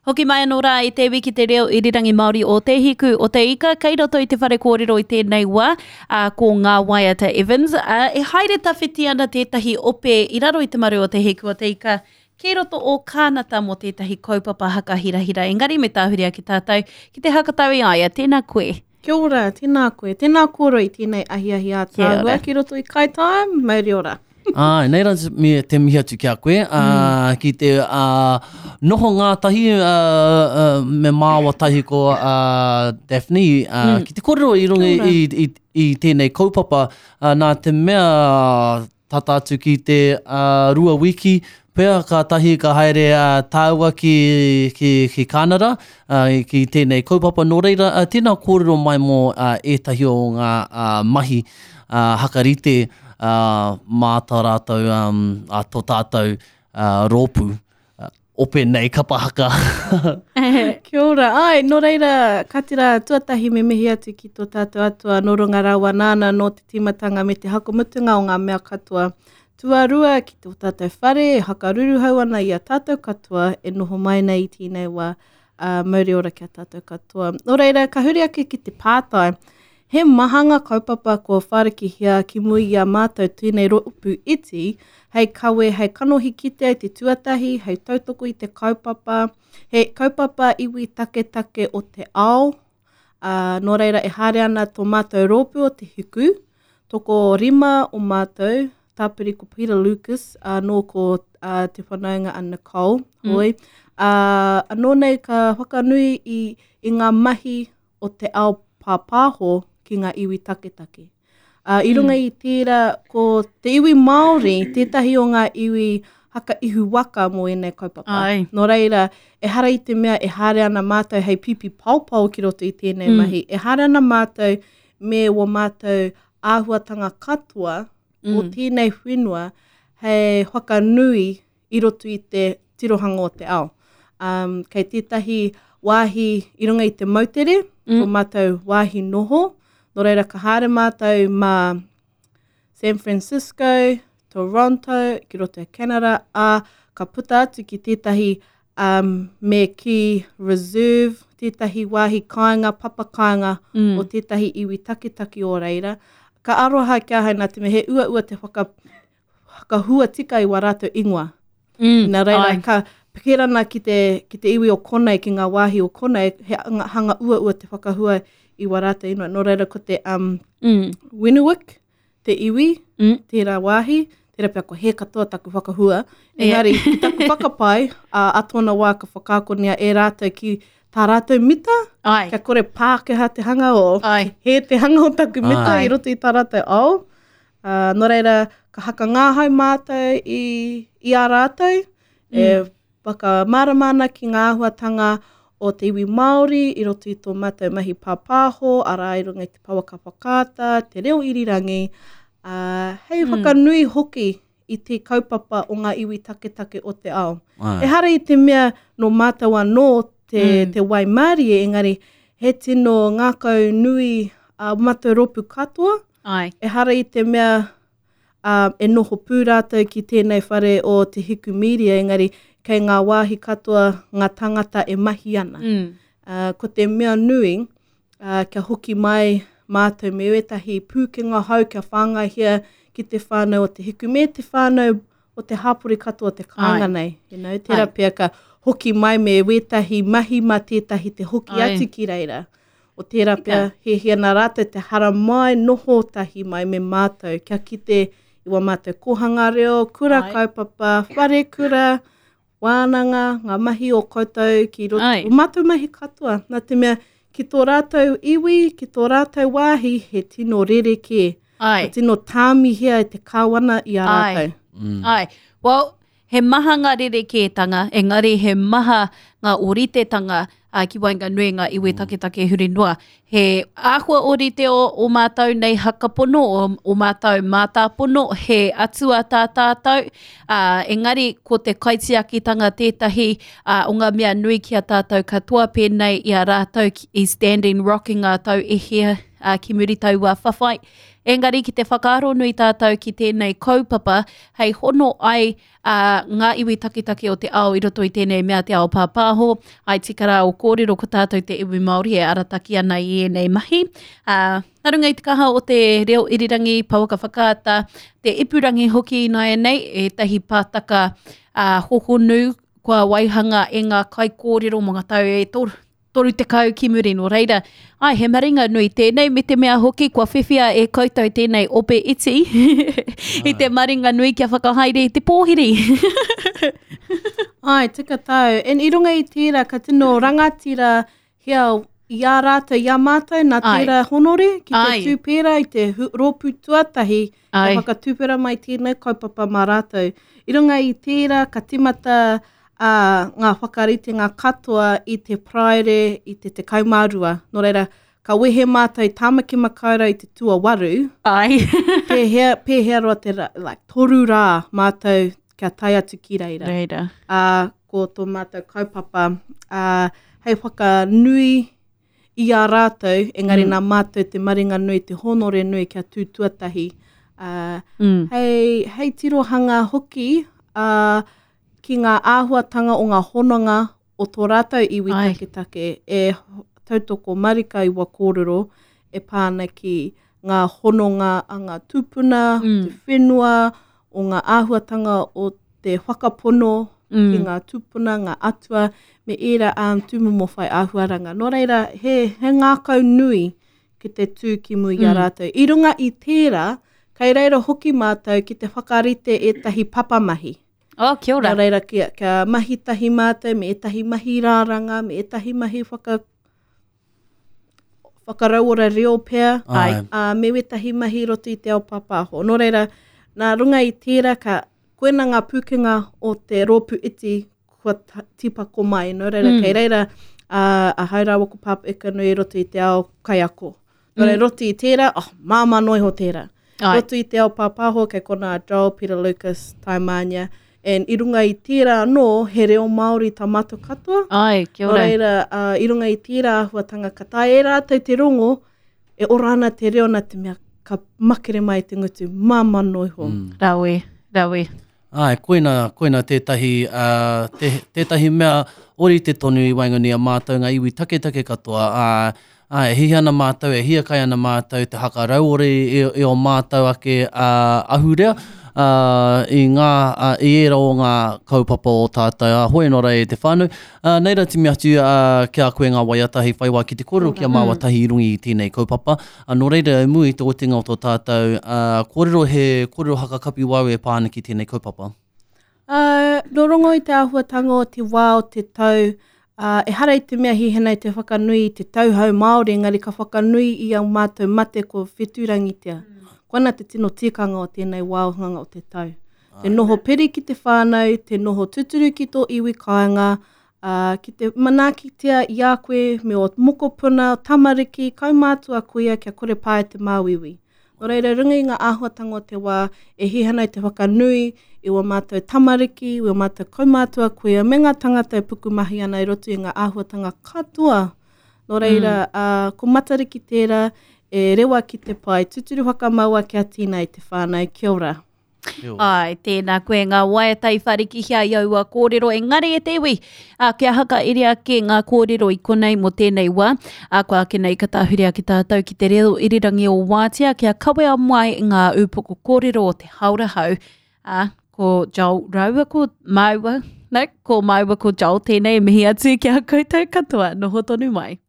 Hoki mai anō rā i te iwi ki te reo irirangi Māori o Te Hiku o Te Ika, kei roto i te whare kōrero i tēnei wā, ā, ko Ngā Waiata Evans, ā, e haere tawhiti ana tētahi ope i raro i te maru o Te Hiku o Te Ika ki roto o Kānata mō tētahi kaupapa haka hirahira. Engari me tāhuri ake tātou ki te hakatau i a ia. Tēnā koe. Kia ora, tēnā koe. Tēnā kōrua i tēnei ahiahi ātaahua ki roto i Kai Time, mauri ora. Āe, nei rā me te mihi atu ki a koe, ā, mm. ki te ā, noho ngātahi ā, ā, me māua tahi ko ā, Daphne, ā, mm. ki te kōrero i runga i, i, i tēnei kaupapa, ā, nā te mea tata atu ki te uh, rua wiki pea kātahi ka haere uh, tāua ki, ki, ki Kānara uh, ki tēnei kaupapa. Nō reira, uh, tēnā kōrero mai mō uh, ētahi o ngā uh, mahi uh, hakarite uh, mā tā rātou, um, a tō tātou uh, rōpū. Ope nei kapa haka. Kia ora. Ai, nō reira, ka tira tuatahi me mihi atu ki tō tātou atua nō runga rawa nāna nō te tīmatanga me te hakamutunga o ngā mea katoa. Tuarua, ki tō tātou whare e hakaruruhau ana i a tātou katoa e noho mai nei i tēnei wā, ā, mauri ora ki a tātou katoa. Nō reira, ka huri ake ki te pātai, He maha ngā kaupapa kua whārikihia ki muri i a mātou tēnei rōpū iti, hei kawe, hei kanohi kitea i te tuatahi, hei tautoko i te kaupapa, he kaupapa iwi taketake o te ao, ā, nō reira e haere ana tō mātou rōpū o Te Hiku, tokorima o mātou, tāpiri ko Peter Lucas, anō ko uh, te whanaunga a Nicole, mm. hoi, ā, anō nei ka whakanui i, i ngā mahi o te ao pāpāho ki ngā iwi taketake. Uh, I runga mm. i tērā, ko te iwi Māori tētahi o ngā iwi haka ihu waka mō ēnei kaupapa. Ai. Nō reira, ehara i te mea e haere ana mātou hei pipi paopao ki roto i tēnei mm. mahi. E haere ana mātou me wō mātou āhuatanga katoa mm. o tēnei whenua hei whakanui i roto i te tirohanga o te ao. Um, kei tētahi wāhi i runga i te moutere, mm. tō mātou wāhi noho, nō reira ka haere mātou mā San Francisco, Toronto, ki roto i Canada, ā, ka puta atu ki tētahi um, me ki reserve, tētahi wāhi kāinga, papa kāinga mm. o tētahi iwi taketake o reira. Ka aroha ki ahau nā te mea he uaua te whaka, whakahua tika i wā rātou ingoa. Mm, Nā reira, ai. ka pērana ki te, ki te iwi o konei, ki ngā wāhi o konei, he hanga uaua te whakahua i wā rātou ingoa. Nō reira, ko te um, mm. Winuwik, te iwi, mm. tērā wāhi, tērā pea ko hē katoa taku whakahua. Engari, yeah. ki taku whakapae, a, a tōna wā ka whakaakonia e rātou ki tā rātou mita, Ai. kia kore Pākehā te hanga o, Ai. hē te hanga o taku mita Ai. i roto i tā rātou ao. Ā, nō reira, ka hakangāhau mātou i, i a rātou, mm. e whakamārama ana ki ngā āhuatanga o te iwi Māori i roto i tō mātou mahi pāpāho, arā i runga i te pouaka whakaata, te reo irirangi, ā, hei mm. whakanui hoki i te kaupapa o ngā iwi taketake o te ao. Ai. Ehara i te mea nō mātou anō te, mm. te waimārie, engari he tino ngākau nui a mātou rōpū katoa, Ai. Ehara i te mea uh, e noho pū rātou ki tēnei whare o Te Hiku Media, engari kei ngā wāhi katoa ngā tangata e mahi ana. Mm. Uh, ko te mea nui, uh, kia hoki mai mātou me wētahi pūkenga hou kia whāngaihia ki te whānau o Te Hiku me te whānau o te hāpori katoa te kāinga nei. You know, tērā pea ka hoki mai me wētahi mahi mā tētahi te hoki Ai. atu ki reira. O tērā pea, hiahia nā rātou te haramai, noho tahi mai me mātou, kia kite i wā mātou kōhanga reo, kura Ai. kaupapa, whare kura, wānanga, ngā mahi o koutou ki roto, Ai. o mātou mahi katoa. Nā te mea, ki tō rātou iwi, ki tō rātou wāhi, he tino rerekē. Ai. Ka tino tāmihia e te kāwana i a rātou. Mm. Ai. Well, he maha ngā rerekētanga, engari he maha ngā ōritetanga uh, ki waenganui ngā iwi mm. taketake huri noa. He āhua ōrite o, o mātou nei hakapono, o, o mātou mātāpono, he atua tā tātou, uh, engari ko te kaitiakitanga tētahi uh, o ngā mea nui ki a tātou katoa pēnei i a rātou i Standing Rock i ngā tau e hia uh, ki muri taua whawhai. Engari ki te whakaaro nui tātou ki tēnei kaupapa hei hono ai ā, ngā iwi taketake o te ao i roto i tēnei mea te ao pāpāho, ai tika rā o kōrero ko tātou te iwi Māori e arataki ana i ēnei mahi. Ā, nā runga i te kaha o te reo irirangi, pouaka whakaata, te ipurangi hoki ināianei, ētahi pātaka ā, hohonu kua waihanga e ngā kaikōrero mō ngā tau e 30 ki muri, nō reira, ai, he maringa nui tēnei, me te mea hoki kua whiwhia e koutou tēnei ope iti i te maringa nui kia whakahaere i te pōhiri. Ai, tika tāu. And i runga i tērā, ka tino rangatira hea i a rātou, i a mātou, nā tērā honore ki te tū pērā i te rōpū tuatahi ka whakatuwhera mai tēnei kaupapa mā rātou. I runga i tērā, ka timata ā, ngā whakaritenga katoa i te Paraire i te 12. Nō reira, ka wehe mātou i Tāmaki Makaurau i te tuawaru. Ai. Pēhea, pēhea roa te rā, like, toru rā mātou kia tae atu ki reira. Reira. Ā, ko tō mātou kaupapa, ā, hei whakanui i a rātou, engari mm. nā mātou te maringa nui, te hōnore nui kia tū tuatahi. Ā, mm. hei, hei tirohanga hoki, ā, ki ngā āhuatanga o ngā hononga o tō rātou iwi Ai. taketake e tautoko marika i wa kōrero e pā ana ki ngā hononga a ngā tūpuna, mm. te whenua, o ngā āhuatanga o te whakapono mm. ki ngā tūpuna, ngā atua, me ērā um, tūmomo whai āhuaranga. Nō reira, he, he ngākau nui ki te tū ki mua i a mm. rātou. I runga i tērā, kei reira hoki mātou ki te whakarite ētahi papamahi. Oh, kia ora. Nō reira, kia, kia mahi tahi mātou me ētahi mahi rāranga, me ētahi mahi whaka, whakarauora reo pea, Ai. ā, me wētahi mahi roto i te ao pāpāho. Nō reira, nā runga i tērā, ka, koina ngā pūkenga o te rōpū iti kua tīpako mai. Nō reira, mm. kei reira, ā, ahau rāua ko Pāpā Ekanui i roto i te ao kaiako. Nō reira, mm. roto i tērā, oh, māmā noa iho tērā. Ai. Roto i te ao pāpāho, kei konā a Joel, Peter Lucas, Taimānia, and i runga i tērā anō, he reo Māori tā mātou katoa. Ai, kia ora. Nō reira, uh, i runga i tērā āhuatanga, ka taea e rātou te rongo, e ora ana te reo nā te mea, ka makere mai te ngutu, māmā noa iho. Mm. Rawe, rawe. Āe, koina, koina tētahi, ā, te, tētahi mea ōrite tonu i waenganui i a mātou ngā iwi taketake katoa, ā, ā, e hiahia ana mātou, e hiakai ana mātou te hakarauore i, i ō mātou ake, ā, ahurea, ā, i ngā, ā, i ērā o ngā kaupapa o tātou, ā, hoi anō rā e te whānau. Ā, nei rā timi atu, ā, ki a koe ngā waiata hei whai wā ki te kōrero ki a māua tahi i runga i tēnei kaupapa. Ā, nō reira, i mua i te otinga o tō tātou, ā, kōrero he kōrero hakakapi wau e pā ana ki tēnei kaupapa. Ā, nō rongo i te āhuatanga o te wā o te tau, ā, ehara i te mea hihena i te whakanui i te tauhou Māori, engari ka whakanui i ā mātou mate ko whetūrangitia. Koina te tino tikanga o tēnei wāhanga o te tau. Te noho piri ki te whānau, te noho tuturu ki tō iwi kāinga, ā, ki te manaakitia i a koe me ō mokopuna, tamariki, kaumātua kuia kia kore pā e te māuiui. Nō reira, i runga i ngā āhuatanga o te wā, e hiahia ana i te whakanui i wā mātou tamariki, i wā mātou kaumātua kuia me ngā tangata e pukumahi ana i roto i ngā āhuatanga katoa. Nō reira, ā, ko Matariki tērā e rewa ki te pae, tuturu whakamaua kia tīna i te whānau. Kia ora. Ai, tēnā koe ngā waiata i wharikihia i aua kōrero, engari e te iwi, a, kia hakaere ake ngā kōrero i konei mō tēnei wā, a, kua ake nei ka tāhure ake tātou ki te reo irirangi o Wātea kia kawea mai ngā ūpoko kōrero o te haora hau, a, ko Joel rāua ko māua, no, ko māua ko Joel tēnei e mihi atu ki a koutou katoa, noho tonu mai.